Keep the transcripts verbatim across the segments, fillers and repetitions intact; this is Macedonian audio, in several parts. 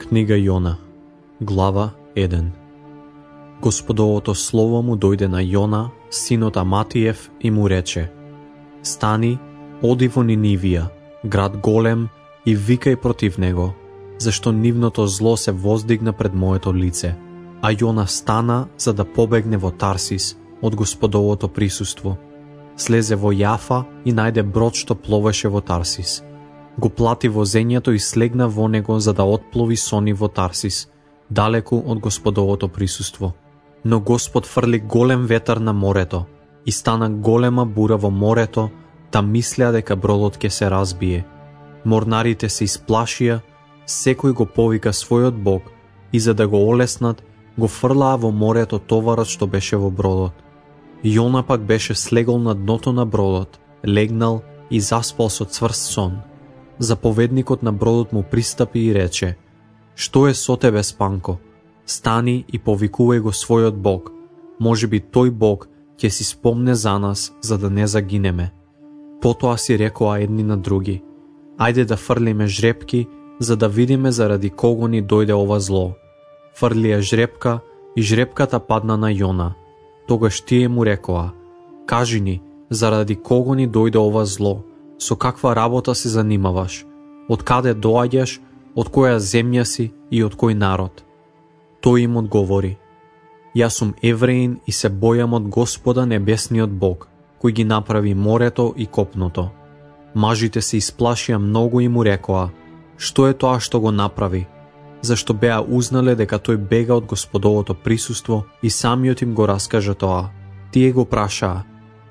Книга Јона, глава еден. Господовото слово му дојде на Јона, синот Аматиев, и му рече: Стани, оди во Нинивија, град голем, и викај против него, зашто нивното зло се воздигна пред моето лице. А Јона стана за да побегне во Тарсис од Господовото присуство. Слезе во Јафа и најде брод што пловеше во Тарсис. Го плати возењето и слегна во него за да отплови со нив во Тарсис, далеку од Господовото присуство. Но Господ фрли голем ветар на морето и стана голема бура во морето, та мислеа дека бродот ќе се разбие. Морнарите се исплашија, секој го повика својот бог и за да го олеснат, го фрлаа во морето товарот што беше во бродот. Јона пак беше слегол на дното на бродот, легнал и заспал со цврст сон. Заповедникот на бродот му пристапи и рече: Што е со тебе, спанко? Стани и повикувај го својот бог. Може би тој бог ќе си спомне за нас, за да не загинеме. Потоа си рекоа едни на други: Ајде да фрлиме жрепки, за да видиме заради кого ни дојде ова зло. Фрлија жрепка и жрепката падна на Јона. Тогаш тие му рекоа: Кажи ни, заради кого ни дојде ова зло? Со каква работа се занимаваш? Од каде доаѓаш? Од која земја си и од кој народ? Тој им одговори: Јас сум евреин и се бојам од Господа небесниот Бог, кој ги направи морето и копното. Мажите се исплашија многу и му рекоа: Што е тоа што го направи? Зашто беа узнале дека тој бега од Господовото присуство и самиот им го раскажа тоа. Тие го прашаа: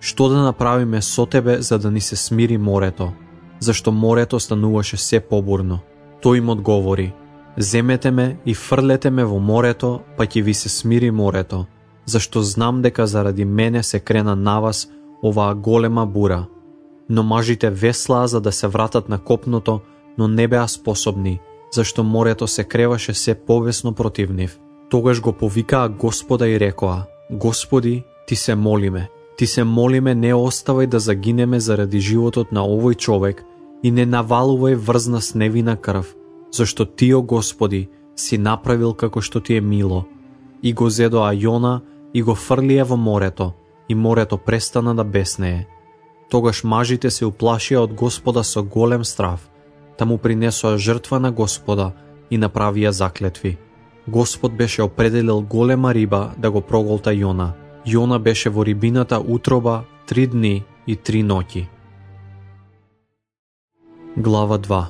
Што да направиме со тебе за да ни се смири морето? Зашто морето стануваше се побурно. Тој им одговори: Земете ме и фрлете ме во морето, па ќе ви се смири морето, зашто знам дека заради мене се крена на вас оваа голема бура. Но мажите веслаа за да се вратат на копното, но не беа способни, зашто морето се креваше се повесно против нив. Тогаш го повикаа Господа и рекоа: Господи, ти се молиме, ти се молиме, не оставај да загинеме заради животот на овој човек и не навалувај врз нас невина крв, зашто ти, о Господи, си направил како што ти е мило. И го зедоа Јона и го фрлија во морето, и морето престана да беснее. Тогаш мажите се уплашија од Господа со голем страв, та му принесоа жртва на Господа и направија заклетви. Господ беше определил голема риба да го проголта Јона. Јона беше во рибината утроба три дни и три ноќи. Глава два.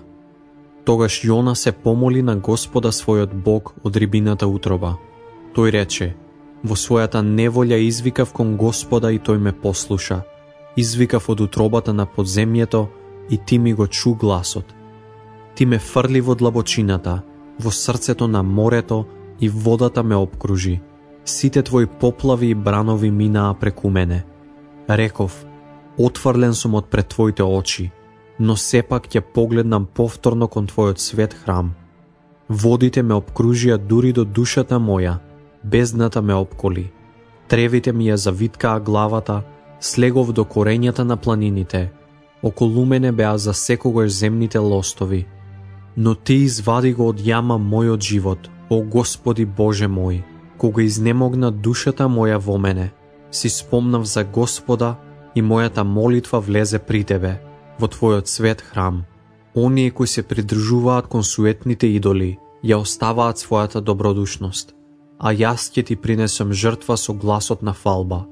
Тогаш Јона се помоли на Господа својот Бог од рибината утроба. Тој рече: Во својата неволја извикав кон Господа и тој ме послуша. Извикав од утробата на подземјето и ти ми го чу гласот. Ти ме фрли во длабочината, во срцето на морето и водата ме обкружи. Сите твои поплави и бранови минаа преку мене. Реков: Отфрлен сум од пред твоите очи, но сепак ќе погледнам повторно кон твојот свет храм. Водите ме обкружија дури до душата моја, бездната ме обколи. Тревите ми ја завиткаа главата, слегов до корењата на планините. Околу мене беа за секогаш земните лостови. Но ти извади го од јама мојот живот, о Господи Боже мој. Кога изнемогна душата моја во мене, си спомнав за Господа и мојата молитва влезе при тебе, во твојот свет храм. Оние кои се придржуваат кон суетните идоли, ја оставаат својата добродушност. А јас ќе ти принесам жртва со гласот на фалба.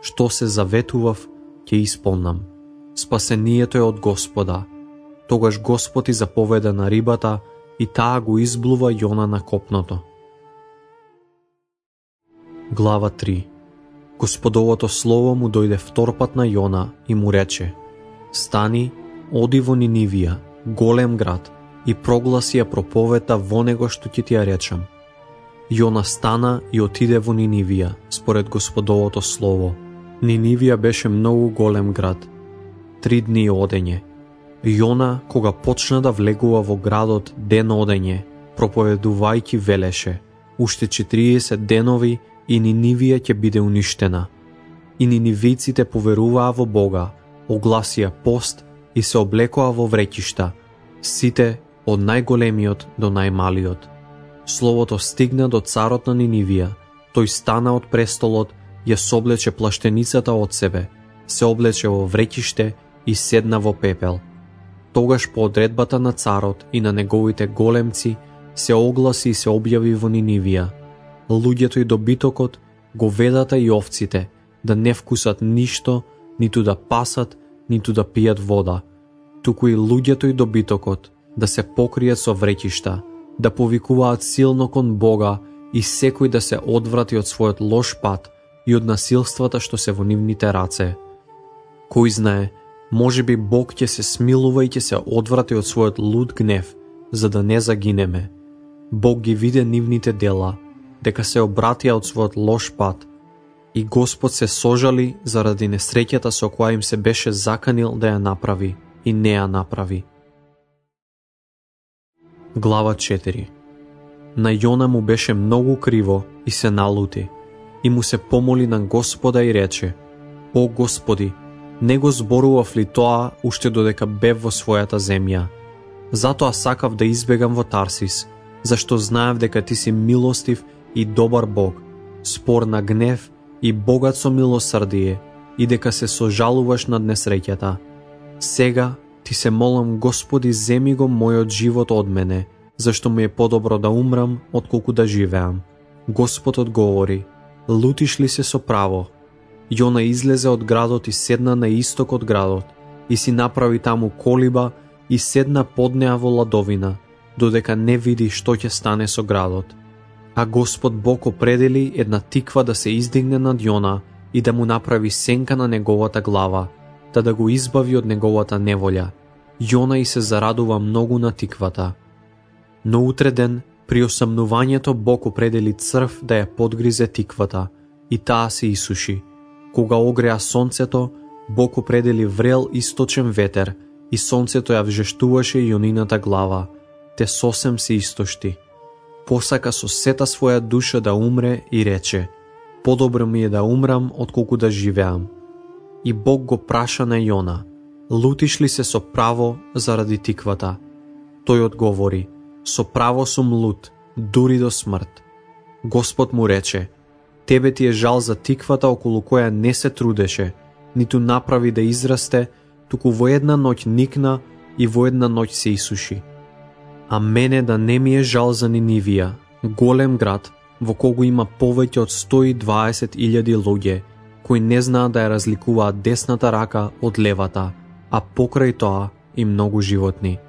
Што се заветував, ќе исполнам. Спасението е од Господа. Тогаш Господ и заповеда на рибата и таа го изблува Јона на копното. Глава три. Господовото слово му дојде вторпат на Јона и му рече: Стани, оди во Нинивија, голем град, и прогласи ја проповета во него што ќе ти ја речам. Јона стана и отиде во Нинивија, според Господовото слово. Нинивија беше многу голем град. Три дни одење. Јона, кога почна да влегува во градот ден одење, проповедувајќи велеше: Уште четириесет денови и Нинивија ќе биде уништена. И нинивиците поверуваа во Бога, огласија пост и се облекоа во вреќишта, сите од најголемиот до најмалиот. Словото стигна до царот на Нинивија. Тој стана од престолот, ја соблече плаштеницата од себе, се облече во вреќиште и седна во пепел. Тогаш по одредбата на царот и на неговите големци се огласи и се објави во Нинивија: луѓето и добитокот, говедата и овците, да не вкусат ништо, ниту да пасат, ниту да пијат вода, туку и луѓето и добитокот да се покријат со вреќишта, да повикуваат силно кон Бога и секој да се одврати од својот лош пат и од насилствата што се во нивните раце. Кој знае, може би Бог ќе се смилува и ќе се одврати од својот луд гнев, за да не загинеме. Бог ги виде нивните дела, дека се обратија од својот лош пат, и Господ се сожали заради несреќата со која им се беше заканил да ја направи и не ја направи. Глава четири. На Јона му беше многу криво и се налути, и му се помоли на Господа и рече: О Господи, не го зборував ли тоа уште додека бев во својата земја? Затоа сакав да избегам во Тарсис, зашто знаев дека ти си милостив и добар Бог, спор на гнев и богат со милосрдие, и дека се сожалуваш над несреќата. Сега ти се молам, Господи, земи го мојот живот од мене, зашто ми е подобро да умрам отколку да живеам. Господ одговори: лутиш ли се со право? Јона излезе од градот и седна на исток од градот, и си направи таму колиба и седна под неа во ладовина, додека не види што ќе стане со градот. А Господ Бог определи една тиква да се издигне над Јона и да му направи сенка на неговата глава, та да го избави од неговата неволја. Јона и се зарадува многу на тиквата. Но утре ден, при осамнувањето, Бог определи црв да ја подгризе тиквата, и таа се исуши. Кога огреа сонцето, Бог определи врел источен ветер, и сонцето ја вжештуваше Јонината глава, те сосем се истошти. Посака со сета своја душа да умре и рече: подобро ми е да умрам отколку да живеам. И Бог го праша на Јона: лутиш ли се со право заради тиквата? Тој одговори: со право сум лут, дури до смрт. Господ му рече: тебе ти е жал за тиквата околу која не се трудеше, ниту направи да израсте, туку во една ноќ никна и во една ноќ се исуши. А мене да не ми е жал за Нинивија, голем град, во кого има повеќе од сто и дваесет илјади луѓе, кои не знаат да ја разликуваат десната рака од левата, а покрај тоа и многу животни.